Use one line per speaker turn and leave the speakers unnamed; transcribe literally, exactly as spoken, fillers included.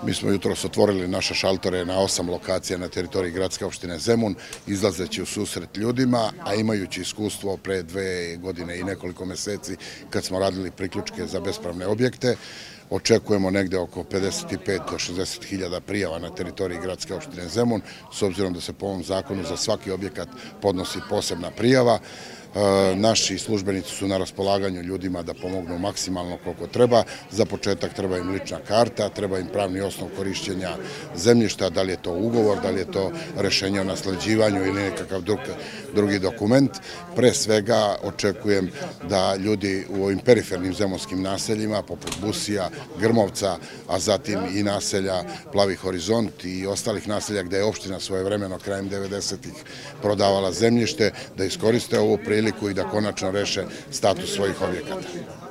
Mi smo jutros otvorili naše šaltore na osam lokacija na teritoriji gradske opštine Zemun, izlazeći u susret ljudima, a imajući iskustvo pre dve godine i nekoliko meseci kad smo radili priključke za bespravne objekte. Očekujemo negde oko pedeset pet do šezdeset hiljada prijava na teritoriji gradske opštine Zemun, s obzirom da se po ovom zakonu za svaki objekat podnosi posebna prijava. Naši službenici su na raspolaganju ljudima da pomognu maksimalno koliko treba. Za početak treba im lična karta, treba im pravni osnov korišćenja zemljišta, da li je to ugovor, da li je to rešenje o nasleđivanju ili nekakav drugi dokument. Pre svega očekujem da ljudi u ovim perifernim zemunskim naseljima, poput Busija, Grmovca, a zatim i naselja Plavi horizont i ostalih naselja gde je opština svojevremeno krajem devedesetih prodavala zemljište, da iskoriste ovu priliku i da konačno reše status svojih objekata.